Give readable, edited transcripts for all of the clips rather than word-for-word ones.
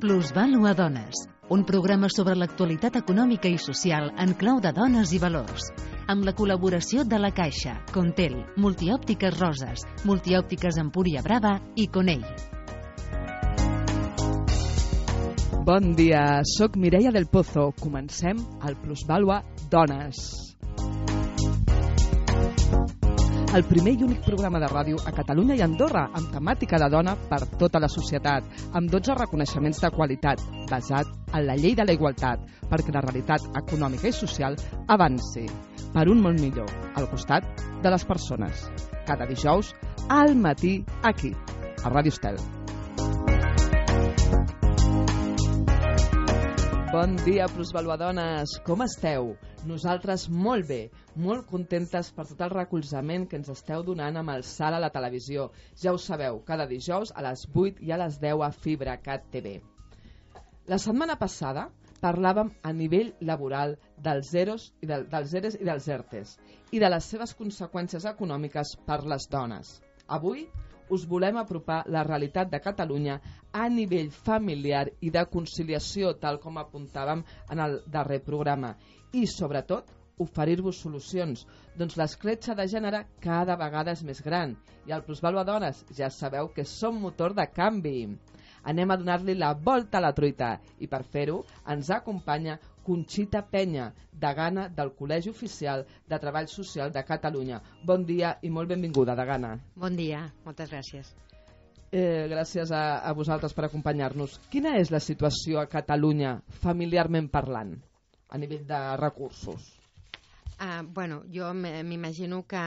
Plusvàlua Dones, un programa sobre l'actualitat econòmica i social en clau de dones i valors. Amb la col·laboració de La Caixa, Contel, Multiòptiques Roses, Multiòptiques Empúria Brava i Conell. Bon dia, soc Mireia del Pozo. Comencem el Plusvàlua Dones. El primer i únic programa de ràdio a Catalunya i Andorra amb temàtica de dona per tota la societat, amb 12 reconeixements de qualitat, basat en la llei de la igualtat, perquè la realitat econòmica i social avanci per un món millor, al costat de les persones. Cada dijous, al matí, aquí, a Ràdio Estel. Bon dia, plusvaluadones! Com esteu? Nosaltres molt bé, molt contentes per tot el recolzament que ens esteu donant amb el salt a la televisió. Ja ho sabeu, cada dijous a les 8 i a les 10 a FibraCat TV. La setmana passada parlàvem a nivell laboral dels EROs i dels ERTEs i de les seves conseqüències econòmiques per les dones. Avui us volem apropar la realitat de Catalunya a nivell familiar i de conciliació, tal com apuntàvem en el darrer programa. I, sobretot, oferir-vos solucions, doncs l'escletxa de gènere cada vegada és més gran. I al Plusvàlua Dones ja sabeu que som motor de canvi. Anem a donar-li la volta a la truita i per fer-ho ens acompanya Conxita Penya, degana del Col·legi Oficial de Treball Social de Catalunya. Bon dia i molt benvinguda, degana. Bon dia, moltes gràcies. Gràcies a vosaltres per acompanyar-nos. Quina és la situació a Catalunya, familiarment parlant, a nivell de recursos? Jo m'imagino que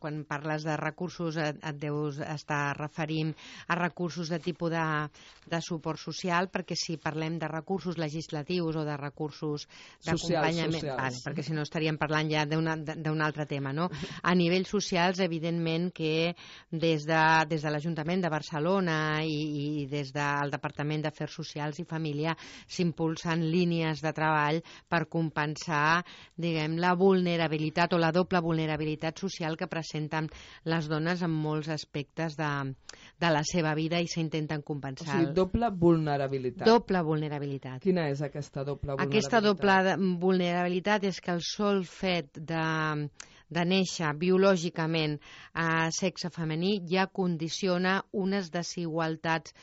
quan parles de recursos et deus estar referint a recursos de tipus de suport social, perquè si parlem de recursos legislatius o de recursos d'acompanyament, perquè si no estaríem parlant ja d'un altre tema, no? A nivells socials, evidentment que des de l'Ajuntament de Barcelona i des del Departament d'Afers Socials i Família s'impulsen línies de treball per compensar, diguem, la vulnerabilitat o la doble vulnerabilitat social que presenten les dones en molts aspectes de la seva vida i s'intenten compensar. O sigui, doble vulnerabilitat. Doble vulnerabilitat. Quina és aquesta doble vulnerabilitat? Aquesta doble vulnerabilitat és que el sol fet de néixer biològicament a sexe femení ja condiciona unes desigualtats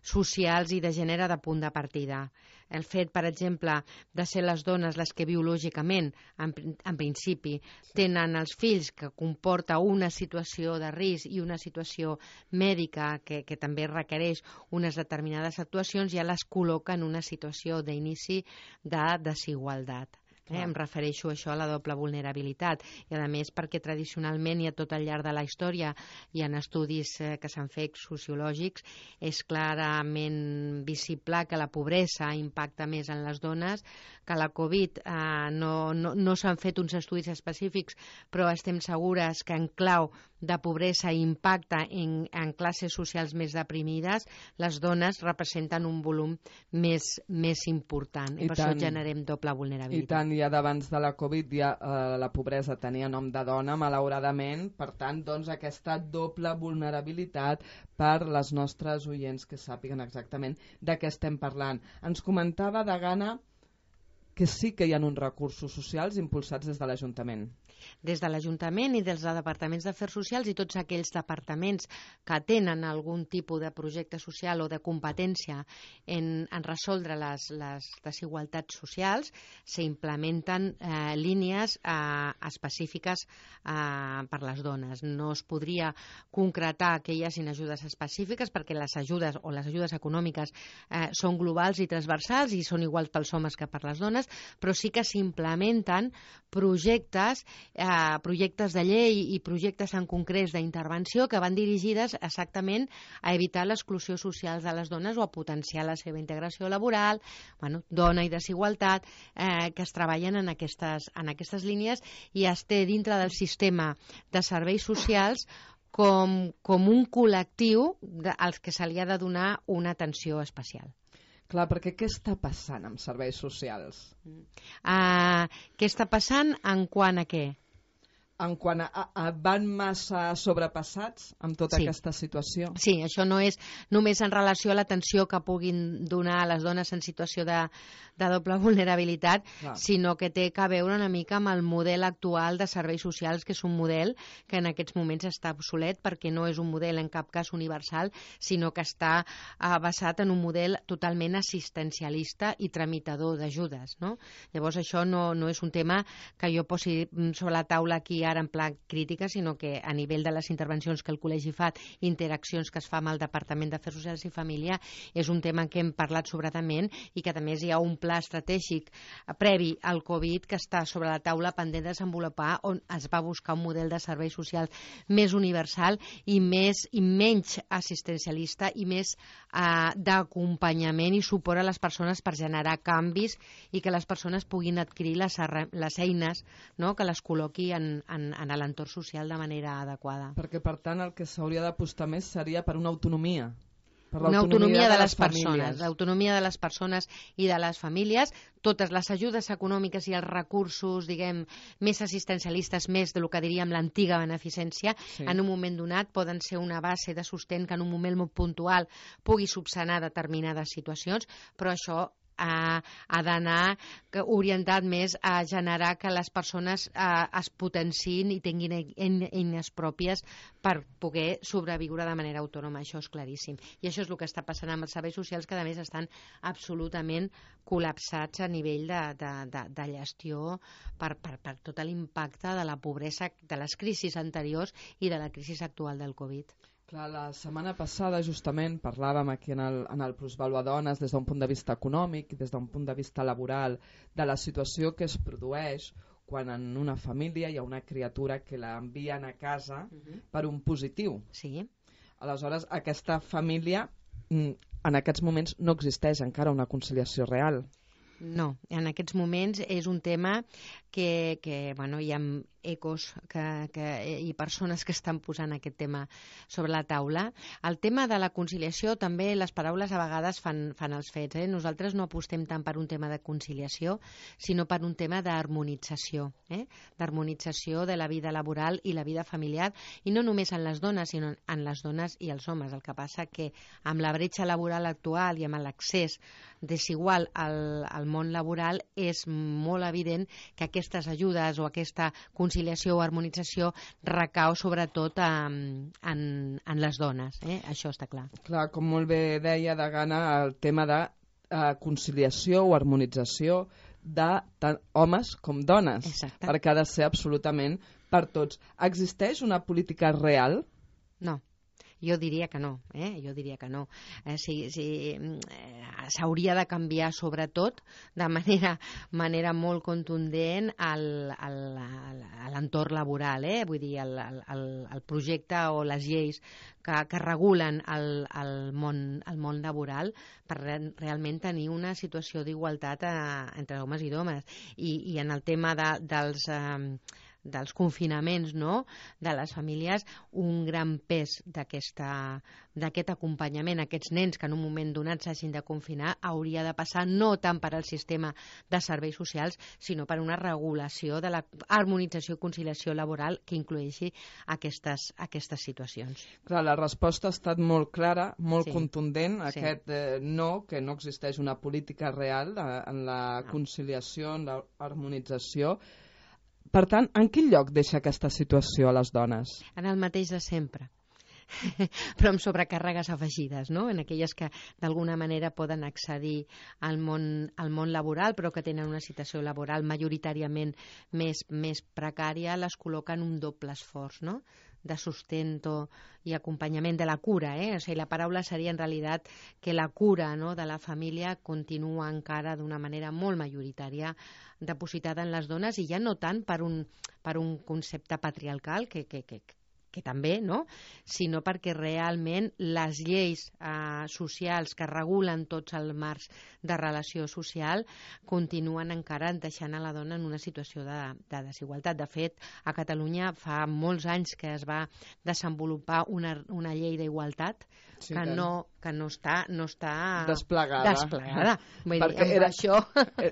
socials i de gènere de punt de partida. El fet, per exemple, de ser les dones les que biològicament, en principi, tenen els fills, que comporta una situació de risc i una situació mèdica que també requereix unes determinades actuacions, ja les col·loca en una situació d'inici de desigualtat. Em refereixo a això, a la doble vulnerabilitat, i a més perquè tradicionalment i a tot al llarg de la història i en estudis que s'han fet sociològics és clarament visible que la pobresa impacta més en les dones, que la Covid no s'han fet uns estudis específics, però estem segures que en clau de pobresa impacta en classes socials més deprimides, les dones representen un volum més important i per això generem doble vulnerabilitat. I tant, ja d'abans de la Covid la pobresa tenia nom de dona, malauradament, per tant, doncs aquesta doble vulnerabilitat per les nostres oients que sàpiguen exactament de què estem parlant. Ens comentava, degana, que sí que hi ha uns recursos socials impulsats des de l'Ajuntament. Des de l'Ajuntament i des de departaments d'Afers Socials i tots aquells departaments que tenen algun tipus de projecte social o de competència en resoldre les desigualtats socials, s'implementen línies específiques per les dones. No es podria concretar que hi hagin ajudes específiques perquè les ajudes o les ajudes econòmiques són globals i transversals i són iguals pels homes que per les dones, però sí que s'implementen projectes de llei i projectes en concrets d'intervenció que van dirigides exactament a evitar l'exclusió social de les dones o a potenciar la seva integració laboral, dona i desigualtat, que es treballen en aquestes línies i es té dintre del sistema de serveis socials com un col·lectiu als que se li ha de donar una atenció especial. Clar, perquè què està passant amb serveis socials? Què està passant en quant a què? en quant a van massa sobrepassats amb tota aquesta situació? Sí, això no és només en relació a l'atenció que puguin donar a les dones en situació de doble vulnerabilitat, sinó que té a veure una mica amb el model actual de serveis socials, que és un model que en aquests moments està obsolet perquè no és un model en cap cas universal, sinó que està basat en un model totalment assistencialista i tramitador d'ajudes, no? Llavors això no és un tema que jo posi sobre la taula aquí ara en pla crítica, sinó que a nivell de les intervencions que el Col·legi fa, interaccions que es fa amb el Departament d'Afers Socials i Família, és un tema en què hem parlat sobradament i que a més hi ha un pla estratègic previ al Covid que està sobre la taula pendent de desenvolupar, on es va buscar un model de serveis socials més universal i menys assistencialista i més d'acompanyament i suport a les persones per generar canvis i que les persones puguin adquirir les eines, no?, que les col·loqui en l'entorn social de manera adequada. Perquè, per tant, el que s'hauria d'apostar més seria per una autonomia. Per una autonomia de les famílies. persones, l'autonomia de les persones i de les famílies, totes les ajudes econòmiques i els recursos, diguem, més assistencialistes, més del que diríem l'antiga beneficència, en un moment donat poden ser una base de sostén que en un moment molt puntual pugui subsanar determinades situacions, però això ha d'anar orientat més a generar que les persones es potenciïn i tinguin eines pròpies per poder sobreviure de manera autònoma. Això és claríssim. I això és el que està passant amb els serveis socials, que a més estan absolutament col·lapsats a nivell de gestió per tot l'impacte de la pobresa, de les crisis anteriors i de la crisi actual del Covid. Clar, la setmana passada justament parlàvem aquí en el Plusvàlua Dones des d'un punt de vista econòmic i des d'un punt de vista laboral de la situació que es produeix quan en una família hi ha una criatura que l'envien a casa per un positiu. Sí. Aleshores, aquesta família en aquests moments no existeix encara una conciliació real. No, en aquests moments és un tema que bueno, hi ha ecos i persones que estan posant aquest tema sobre la taula. El tema de la conciliació, també les paraules a vegades fan els fets. Nosaltres no apostem tant per un tema de conciliació, sinó per un tema d'harmonització, d'harmonització de la vida laboral i la vida familiar, i no només en les dones, sinó en les dones i els homes. El que passa que amb la bretxa laboral actual i amb l'accés desigual al món laboral és molt evident que aquestes ajudes o aquesta conciliació o harmonització recau sobretot en les dones. Això està clar. Clar, com molt bé deia Degana, el tema de conciliació o harmonització de tant homes com dones. Exacte. Perquè ha de ser absolutament per tots. Existeix una política real? No. Jo diria que no, jo diria que no. S'hauria de canviar sobretot de manera molt contundent a l'entorn laboral, vull dir, el projecte o les lleis que regulen el món laboral per realment tenir una situació d'igualtat entre homes i dones. I en el tema dels confinaments, no?, de les famílies, un gran pes d'aquest acompanyament a aquests nens que en un moment donat s'hagin de confinar hauria de passar no tant per al sistema de serveis socials, sinó per una regulació de la harmonització i conciliació laboral que incloeixi aquestes situacions. Clar, la resposta ha estat molt clara, molt contundent, aquest no, que no existeix una política real en la conciliació, en l'harmonització. Per tant, en quin lloc deixa aquesta situació a les dones? En el mateix de sempre, però amb sobrecàrregues afegides, no? En aquelles que d'alguna manera poden accedir al món laboral però que tenen una situació laboral majoritàriament més precària, les col·loquen un doble esforç, no?, de sustento i acompanyament de la cura. O sigui, la paraula seria en realitat que la cura, no?, de la família continua encara d'una manera molt majoritària depositada en les dones, i ja no tant per un concepte patriarcal que que també, no? Sinó perquè realment les lleis socials que regulen tots els marcs de relació social continuen encara deixant a la dona en una situació de desigualtat. De fet, a Catalunya fa molts anys que es va desenvolupar una llei d'igualtat que no està desplegada. Vull dir, això...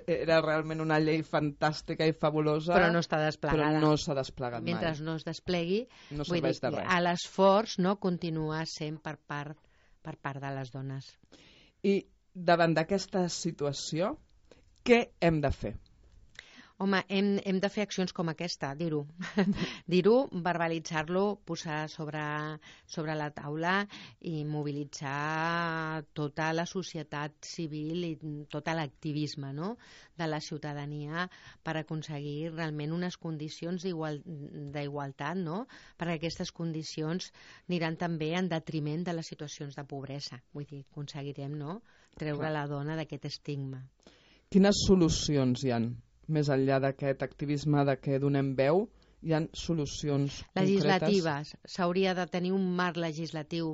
Era realment una llei fantàstica i fabulosa, però no està desplegada. Però no s'ha desplegat mai. Mentre no es desplegui, no serveix de res. L'esforç continua sent per part de les dones. I davant d'aquesta situació, què hem de fer? Home, hem de fer accions com aquesta, dir-ho. Dir-ho, verbalitzar-lo, posar sobre la taula i mobilitzar tota la societat civil i tot l'activisme, no?, de la ciutadania per aconseguir realment unes condicions d'igualtat, no?, perquè aquestes condicions aniran també en detriment de les situacions de pobresa. Vull dir, aconseguirem, no?, treure la dona d'aquest estigma. Quines solucions hi ha? Més enllà d'aquest activisme de què donem veu, hi ha solucions legislatives. S'hauria de tenir un marc legislatiu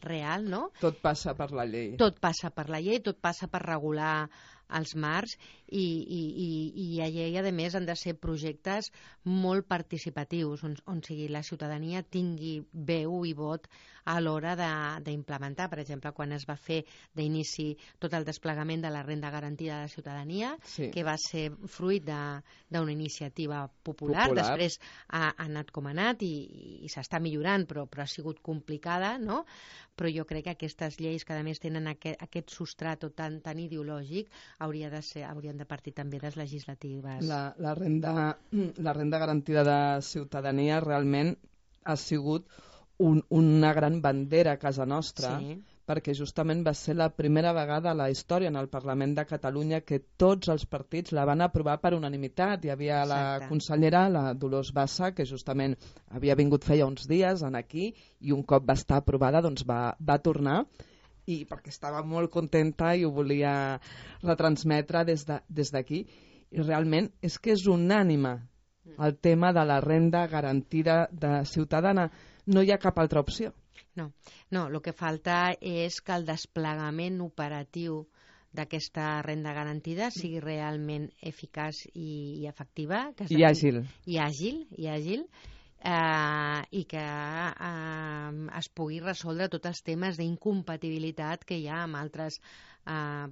real, no? Tot passa per la llei. Tot passa per la llei, tot passa per regular els marcs i a llei, a més, han de ser projectes molt participatius, on sigui la ciutadania tingui veu i vot a l'hora d'implementar. Per exemple, quan es va fer d'inici tot el desplegament de la renda garantida de la ciutadania, que va ser fruit d'una iniciativa popular. Després ha anat com ha anat i s'està millorant, però ha sigut complicada, no? Però jo crec que aquestes lleis, que a més tenen aquest substrat tan ideològic, haurien de partir també de les legislatives. La renda garantida de ciutadania realment ha sigut una gran bandera a casa nostra, perquè justament va ser la primera vegada a la història en el Parlament de Catalunya que tots els partits la van aprovar per unanimitat. Hi havia la consellera, la Dolors Bassa, que justament havia vingut feia uns dies aquí i un cop va estar aprovada doncs va tornar, i perquè estava molt contenta i ho volia retransmetre des d'aquí. I realment és que és unànime el tema de la renda garantida de ciutadana. No hi ha cap altra opció. No, el que falta és que el desplegament operatiu d'aquesta renda garantida sigui realment eficaç i efectiva. I àgil. I àgil. I que es pugui resoldre tots els temes d'incompatibilitat que hi ha amb altres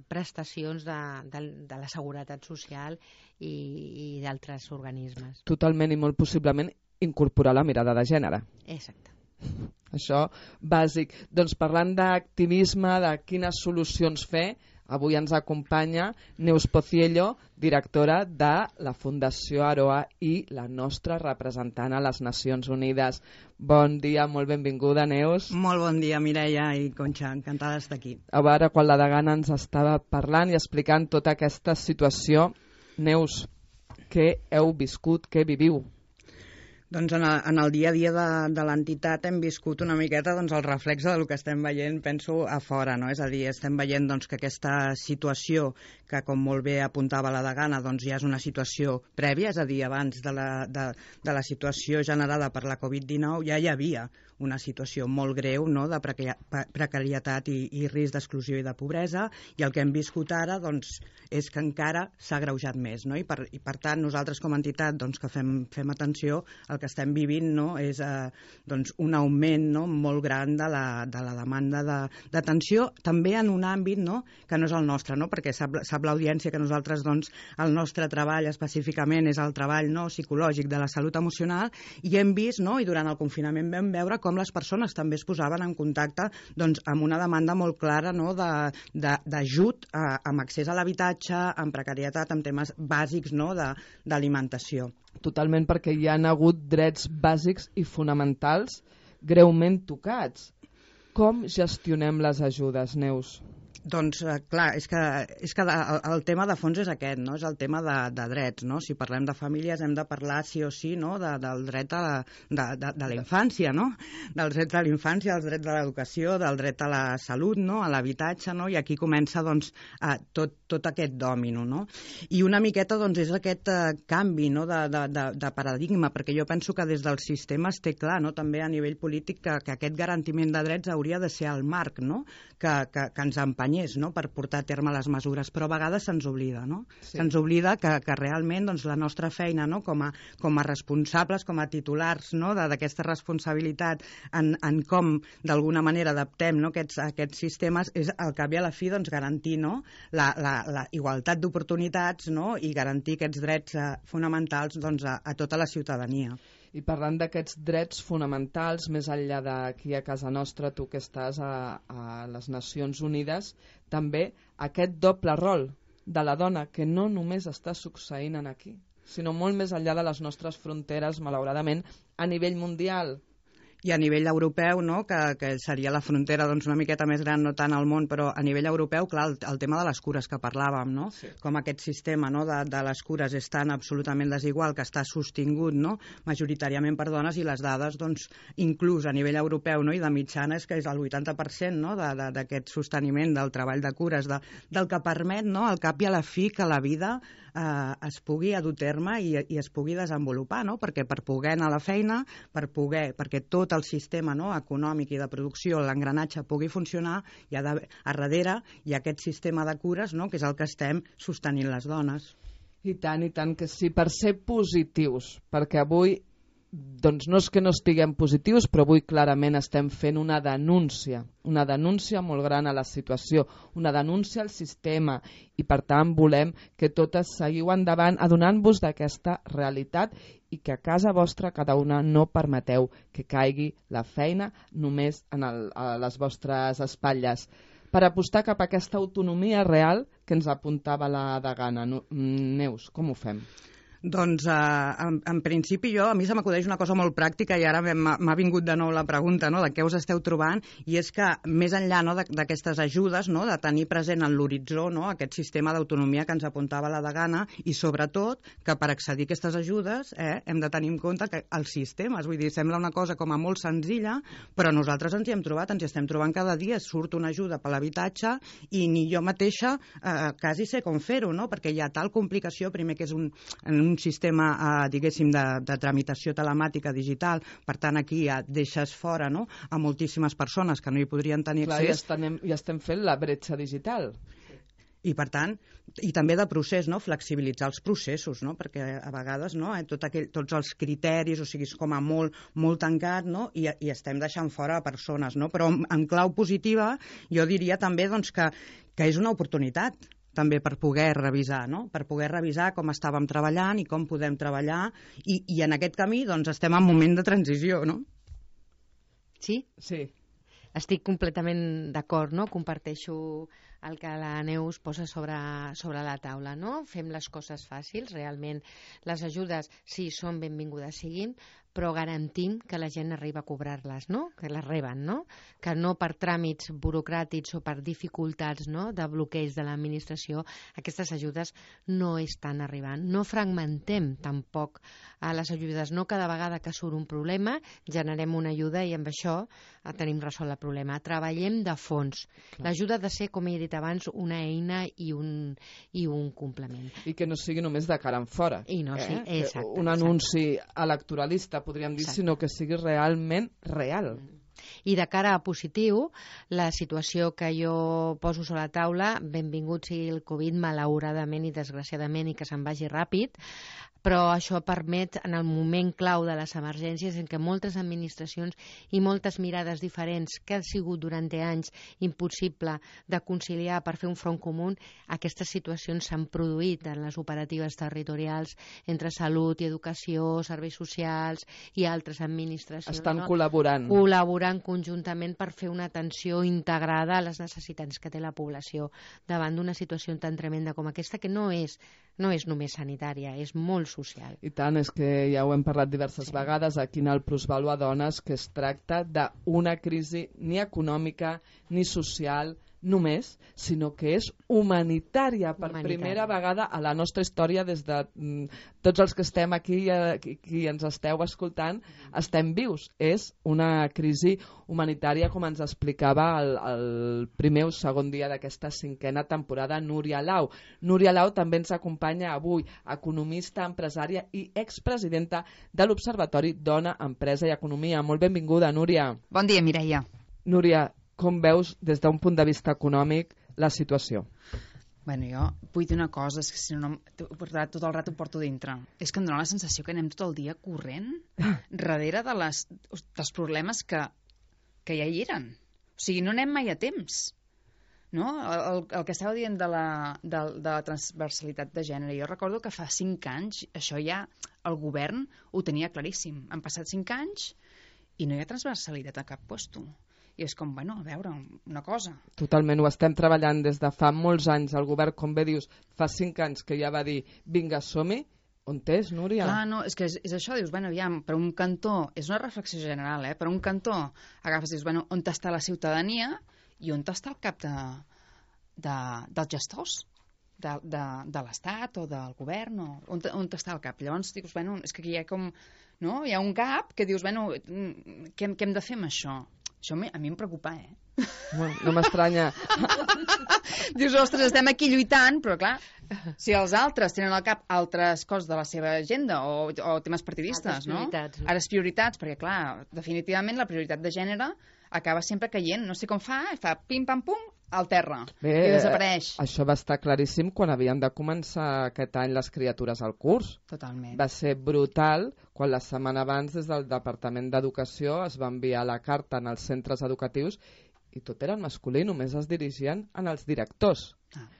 prestacions de la seguretat social i d'altres organismes. Totalment, i molt possiblement incorporar la mirada de gènere. Exacte. Això bàsic. Doncs parlant d'activisme, de quines solucions fer, avui ens acompanya Neus Pociello, directora de la Fundació Aroa i la nostra representant a les Nacions Unides. Bon dia, molt benvinguda, Neus. Molt bon dia, Mireia i Conxa, encantada d'estar aquí. A veure, quan la degana ens estava parlant i explicant tota aquesta situació, Neus, què heu viscut, què viviu? Doncs en el dia a dia de l'entitat hem viscut una miqueta el reflex del que estem veient, penso, a fora, no? És a dir, estem veient que aquesta situació, que com molt bé apuntava la degana, ja és una situació prèvia, és a dir, abans de la situació generada per la Covid-19 ja hi havia una situació molt greu, no?, de precarietat i risc d'exclusió i de pobresa, i el que hem viscut ara és que encara s'ha agreujat més, no? I per tant nosaltres com a entitat que fem atenció, el que estem vivint, no?, és un augment, no?, molt gran de la demanda d'atenció, també en un àmbit, no?, que no és el nostre, no?, perquè sap l'audiència que nosaltres el nostre treball específicament és el treball, no?, psicològic de la salut emocional, i hem vist, no?, i durant el confinament vam veure com les persones també es posaven en contacte amb una demanda molt clara, no?, d'ajut amb accés a l'habitatge, amb precarietat, amb temes bàsics, no?, d'alimentació. Totalment, perquè hi ha hagut drets bàsics i fonamentals greument tocats. Com gestionem les ajudes, Neus? Doncs, clar, és que el tema de fons és aquest, no? És el tema de drets, no? Si parlem de famílies hem de parlar sí o sí, no?, del dret de la infància, no? Dels drets de la infància, dels drets de l'educació, del dret a la salut, no?, a l'habitatge, no? I aquí comença, tot tot aquest dòmino, no? I una miqueta doncs, és aquest canvi, no? de paradigma, perquè jo penso que des del sistema es té clar, no? També a nivell polític, que aquest garantiment de drets hauria de ser el marc, no? que ens empenyés, no? Per portar a terme les mesures, però a vegades se'ns oblida, no? Sí. Se'ns oblida que realment doncs, la nostra feina, no? com a responsables, com a titulars, no? d'aquesta responsabilitat en com d'alguna manera adaptem, no? aquests sistemes, és al cap i a la fi doncs, garantir, no? la igualtat d'oportunitats, no? I garantir aquests drets fonamentals doncs, a tota la ciutadania. I parlant d'aquests drets fonamentals, més enllà d'aquí a casa nostra, tu que estàs a les Nacions Unides, també aquest doble rol de la dona, que no només està succeint aquí, sinó molt més enllà de les nostres fronteres, malauradament, a nivell mundial. I a nivell europeu, no? que seria la frontera doncs, una miqueta més gran, no tant al món, però a nivell europeu, clar, el tema de les cures que parlàvem, no? Sí. Com aquest sistema, no? de les cures és tan absolutament desigual, que està sostingut, no? Majoritàriament per dones, i les dades, doncs, inclús a nivell europeu, no? I de mitjana, és que és el 80% no? d'aquest sosteniment del treball de cures, del que permet, no? Al cap i a la fi, que la vida es pugui dur a terme i es pugui desenvolupar, no? Perquè per poder anar a la feina, perquè tot el sistema, no? Econòmic i de producció, l'engranatge pugui funcionar, a darrere hi ha aquest sistema de cures, no? Que és el que estem sostenint les dones. I tant que sí, per ser positius, perquè avui doncs no és que no estiguem positius, però avui clarament estem fent una denúncia molt gran a la situació, una denúncia al sistema, i per tant volem que totes seguiu endavant adonant-vos d'aquesta realitat i que a casa vostra cada una no permeteu que caigui la feina només a les vostres espatlles, per apostar cap a aquesta autonomia real que ens apuntava la degana. Neus, com ho fem? Doncs, en principi, a mi se m'acudeix una cosa molt pràctica, i ara m'ha vingut de nou la pregunta, no?, de què us esteu trobant, i és que més enllà, no?, d'aquestes ajudes, no?, de tenir present en l'horitzó, no?, aquest sistema d'autonomia que ens apuntava la degana, i sobretot que per accedir a aquestes ajudes hem de tenir en compte que els sistemes, vull dir, sembla una cosa com a molt senzilla, però nosaltres ens hi hem trobat, ens hi estem trobant cada dia, surt una ajuda per l'habitatge i ni jo mateixa quasi sé com fer-ho, no?, perquè hi ha tal complicació, primer que és un sistema, diguéssim, de tramitació telemàtica digital, per tant aquí ja deixes fora, no?, a moltíssimes persones que no hi podrien tenir accés. Ja estem fent la bretxa digital. I per tant, i també de procés, no?, flexibilitzar els processos, no?, perquè a vegades, no?, tots els criteris, o sigui, és com a molt tancat, no?, i estem deixant fora persones, no?, però en clau positiva jo diria també doncs, que és una oportunitat també per poder revisar, no?, per poder revisar com estàvem treballant i com podem treballar, i en aquest camí doncs, estem en moment de transició, no? Sí? Sí. Estic completament d'acord, no? Comparteixo el que la Neus posa sobre la taula, no? Fem les coses fàcils, realment les ajudes, sí, són benvingudes siguin, però garantim que la gent arriba a cobrar-les, no? Que les reben, no? Que no per tràmits burocràtics o per dificultats, no?, de bloqueig de l'administració, aquestes ajudes no estan arribant. No fragmentem tampoc a les ajudes, no cada vegada que surt un problema generem una ajuda i amb això tenim resolt el problema. Treballem de fons. L'ajuda ha de ser, com he dit abans, una eina i un complement. I que no sigui només de cara en fora. I no, sí, exacte. Un anunci electoralista, podríem dir, sinó que sigui realment real. I de cara a positiu, la situació que jo poso sobre la taula, benvingut sigui el Covid, malauradament i desgraciadament, i que se'n vagi ràpid, però això permet, en el moment clau de les emergències, en què moltes administracions i moltes mirades diferents, que ha sigut durant anys impossible de conciliar per fer un front comú, aquestes situacions s'han produït en les operatives territorials entre salut i educació, serveis socials i altres administracions. Estan col·laborant. Col·laborant conjuntament per fer una atenció integrada a les necessitats que té la població davant d'una situació tan tremenda com aquesta, que no és només sanitària, és molt social. I tant, és que ja ho hem parlat diverses vegades aquí en el Plusvalua Dones, que es tracta d'una crisi ni econòmica, ni social, només, sinó que és humanitària per primera vegada a la nostra història, des de tots els que estem aquí i qui ens esteu escoltant, estem vius. És una crisi humanitària, com ens explicava el primer o segon dia d'aquesta 5a temporada Núria Lau. Núria Lau també ens acompanya avui, economista, empresària i expresidenta de l'Observatori Dona, Empresa i Economia. Molt benvinguda, Núria. Bon dia, Mireia. Núria, com veus des d'un punt de vista econòmic la situació? Bueno, jo vull dir una cosa, és que si no, tot el rato ho porto dintre. És que em dóna la sensació que anem tot el dia corrent darrere dels problemes que ja hi eren. O sigui, no anem mai a temps. No? El que estava dient de la transversalitat de gènere, jo recordo que fa 5 anys això ja el govern ho tenia claríssim. Han passat 5 anys i no hi ha transversalitat a cap puesto. I és com, bueno, a veure, una cosa. Totalment, ho estem treballant des de fa molts anys. El govern, com bé dius, fa 5 anys que ja va dir vinga, som-hi. On és, Núria? Clar, no, és que és això, dius, bueno, aviam, per un cantó, és una reflexió general, per un cantó agafes, dius, bueno, on està la ciutadania i on està el cap dels gestors de l'Estat o del govern, on està el cap? Llavors dius, bueno, és que aquí hi ha com, no? Hi ha un gap que dius, bueno, què hem de fer amb això? Això a mi em preocupa, No m'estranya. Dius, ostres, estem aquí lluitant, però clar, si els altres tenen al cap altres coses de la seva agenda o temes partidistes, no? Ara és prioritats, perquè clar, definitivament la prioritat de gènere acaba sempre caient, no sé com fa pim pam pum al terra i desapareix. Això va estar claríssim quan havien de començar aquest any les criatures al curs. Totalment. Va ser brutal quan la setmana abans des del Departament d'Educació es va enviar la carta en els centres educatius i tot era en masculí, només es dirigien en els directors.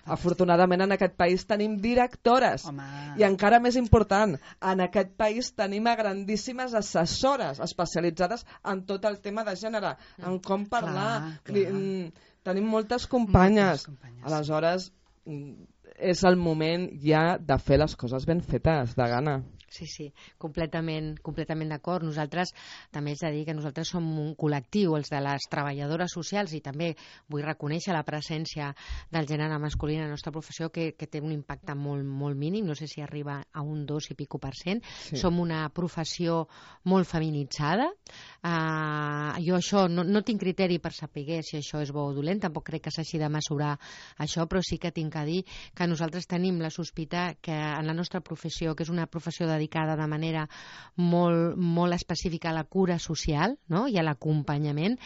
Afortunadament en aquest país tenim directores. I encara més important, en aquest país tenim a grandíssimes assessores especialitzades en tot el tema de gènere, en com parlar. Tenim moltes companyes. Aleshores, és el moment ja de fer les coses ben fetes, de gana. Sí, completament d'acord. Nosaltres, també és a dir que nosaltres som un col·lectiu, els de les treballadores socials, i també vull reconèixer la presència del gènere masculí en la nostra professió, que té un impacte molt mínim, no sé si arriba a un 2 i pico %. Sí. Som una professió molt feminitzada. Jo això no tinc criteri per saber si això és bo o dolent, tampoc crec que s'hagi de mesurar això, però sí que tinc a dir que nosaltres tenim la sospita que en la nostra professió, que és una professió dedicada de manera molt específica a la cura social, no? I a l'acompanyament,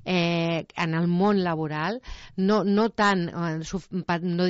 en el món laboral, no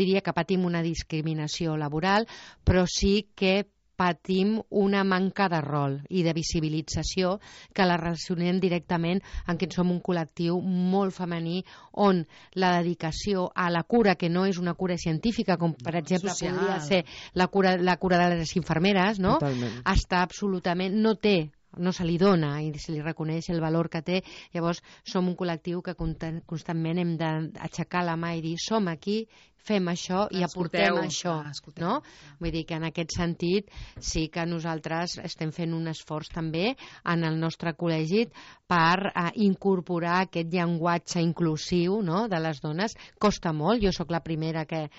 diria que patim una discriminació laboral, però sí que patim una manca de rol i de visibilització que la relacionem directament en que som un col·lectiu molt femení, on la dedicació a la cura, que no és una cura científica, com per exemple podria ser la cura de les infermeres, no? Està absolutament, no se li dona i se li reconeix el valor que té. Llavors som un col·lectiu que constantment hem d'aixecar la mà i dir som aquí, fem això i aportem això, no? Vull dir que en aquest sentit sí que nosaltres estem fent un esforç també en el nostre col·legi per incorporar aquest llenguatge inclusiu, no?, de les dones. Costa molt, jo sóc la primera que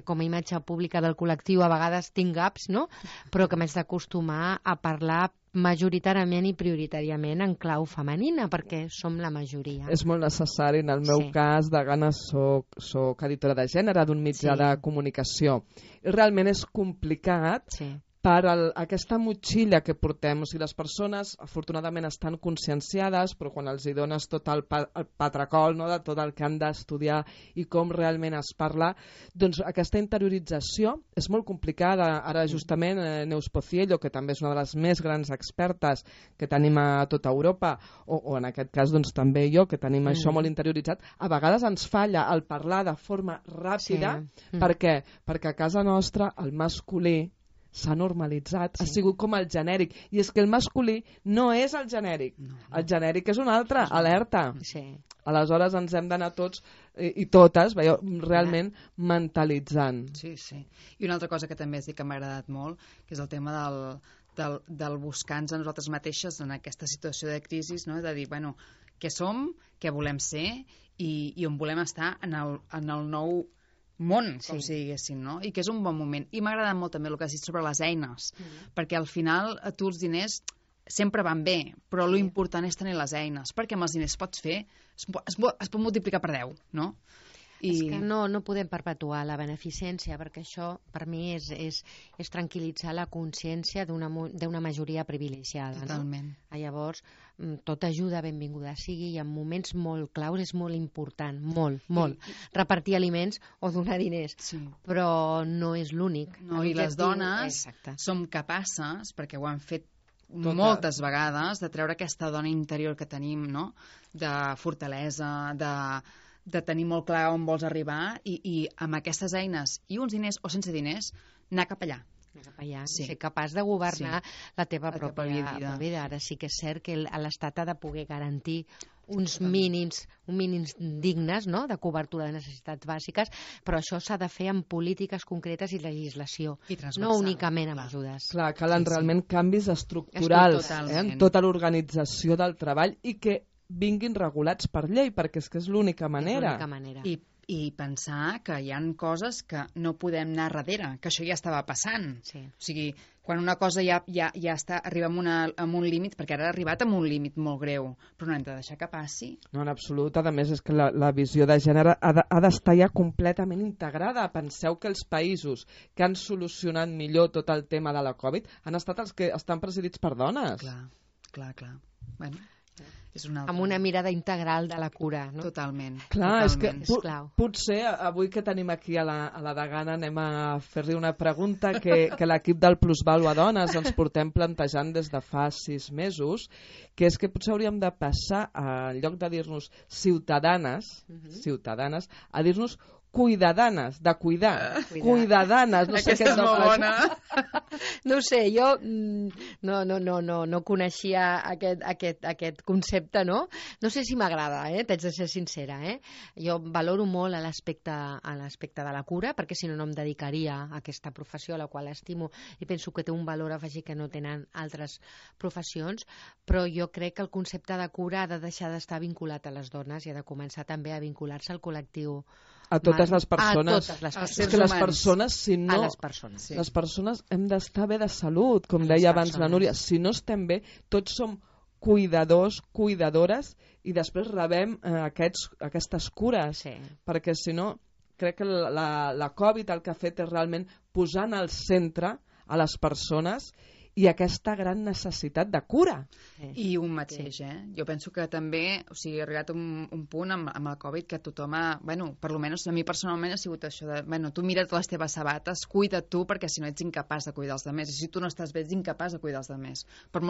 com a imatge pública del col·lectiu a vegades tinc gaps, no?, però que m'haig d'acostumar a parlar majoritàriament i prioritàriament en clau femenina, perquè som la majoria. És molt necessari. En el meu cas, de gana, soc editora de gènere d'un mitjà de comunicació. I realment és complicat per aquesta motxilla que portem. O sigui, les persones, afortunadament, estan conscienciades, però quan els hi dones tot el patracol, no?, de tot el que han d'estudiar i com realment es parla, doncs aquesta interiorització és molt complicada. Ara, justament, Neus Pociello, que també és una de les més grans expertes que tenim a tota Europa, o en aquest cas, doncs, també jo, que tenim això molt interioritzat, a vegades ens falla el parlar de forma ràpida. Per què? Perquè a casa nostra el masculí s'ha normalitzat, ha sigut com el genèric, i és que el masculí no és el genèric, el genèric és un altre, alerta. Aleshores ens hem d'anar tots i totes realment mentalitzant. Sí. I una altra cosa que també has dit que m'ha agradat molt, que és el tema del buscar-nos a nosaltres mateixes en aquesta situació de crisi, no?, de dir, bueno, què som, què volem ser i on volem estar en el nou món, com si diguéssim, no? I que és un bon moment. I m'ha agradat molt també el que has dit sobre les eines, perquè al final tu els diners sempre van bé, però l'important és tenir les eines, perquè amb els diners pots fer, es pot multiplicar per 10, no? És que no podem perpetuar la beneficència, perquè això per mi és tranquil·litzar la consciència d'una majoria privilegiada. Totalment. No? Llavors, tota ajuda benvinguda sigui i en moments molt claus és molt important, molt. Repartir aliments o donar diners, però no és l'únic. No, i les dones som capaces, perquè ho han fet moltes vegades, de treure aquesta dona interior que tenim, no? De fortalesa, de tenir molt clar on vols arribar i amb aquestes eines i uns diners o sense diners anar cap allà. Ser capaç de governar la teva pròpia vida. Ara sí que és cert que l'Estat ha de poder garantir uns mínims dignes, no?, de cobertura de necessitats bàsiques, però això s'ha de fer amb polítiques concretes i legislació, no únicament amb ajudes. Clar, calen realment canvis estructurals en tota l'organització del treball i que vinguin regulats per llei, perquè és que és l'única manera. I pensar que hi ha coses que no podem anar darrere, que això ja estava passant. O sigui, quan una cosa ja arriba a un límit, perquè ara ha arribat a un límit molt greu, però no hem de deixar que passi. No, en absolut. A més, és que la visió de gènere ha d'estar ja completament integrada. Penseu que els països que han solucionat millor tot el tema de la Covid han estat els que estan presidits per dones. Clar. Bueno, amb una mirada integral de la cura, no? Totalment. Clar, és que potser avui que tenim aquí a la degana anem a fer-li una pregunta que l'equip del Plusvàlua Dones ens portem plantejant des de fa 6 mesos, que és que potser hauríem de passar, en lloc de dir-nos ciutadanes, a dir-nos cuidadanes, de cuidar. Cuidadanes. No sé aquesta és molt bona. No ho sé, jo no coneixia aquest concepte, no? No sé si m'agrada, t'haig de ser sincera. Jo valoro molt l'aspecte de la cura, perquè si no em dedicaria a aquesta professió, a la qual estimo, i penso que té un valor afegit que no tenen altres professions, però jo crec que el concepte de cura ha de deixar d'estar vinculat a les dones i ha de començar també a vincular-se al col·lectiu. A totes les persones. És que les persones, si no... Les persones hem d'estar bé de salut, com deia abans la Núria. Si no estem bé, tots som cuidadors, cuidadores, i després rebem aquestes cures. Perquè si no, crec que la Covid el que ha fet és realment posar en el centre a les persones i aquesta gran necessitat de cura. I un mateix, Jo penso que també, o sigui, ha arribat un punt amb el Covid que tothom ha... Bueno, per almenys a mi personalment ha sigut això de... Bueno, tu mira't les teves sabates, cuida't tu, perquè si no ets incapaç de cuidar els altres. I si tu no estàs bé, ets incapaç de cuidar els altres. Per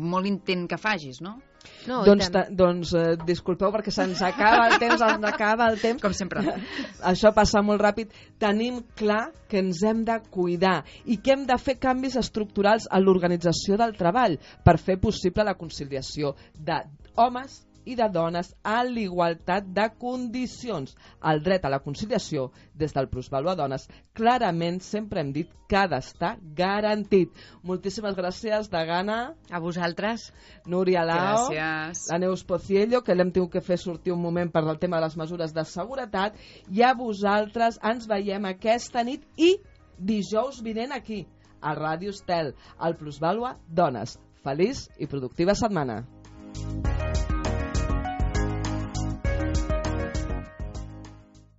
molt intent que facis, no? Doncs disculpeu perquè se'ns acaba el temps, Com sempre. Això passa molt ràpid. Tenim clar que ens hem de cuidar i que hem de fer canvis estructurals a l'organització del treball per fer possible la conciliació d'homes i de dones a l'igualtat de condicions. El dret a la conciliació, des del Plusvàlua Dones, clarament sempre hem dit que ha d'estar garantit. Moltíssimes gràcies, degana. A vosaltres. Núria Lao. Gràcies. La Neus Pociello, que l'hem tingut que fer sortir un moment per al tema de les mesures de seguretat. I a vosaltres ens veiem aquesta nit i dijous vinent aquí, a Ràdio Estel, al Plusvàlua Dones. Feliç i productiva setmana.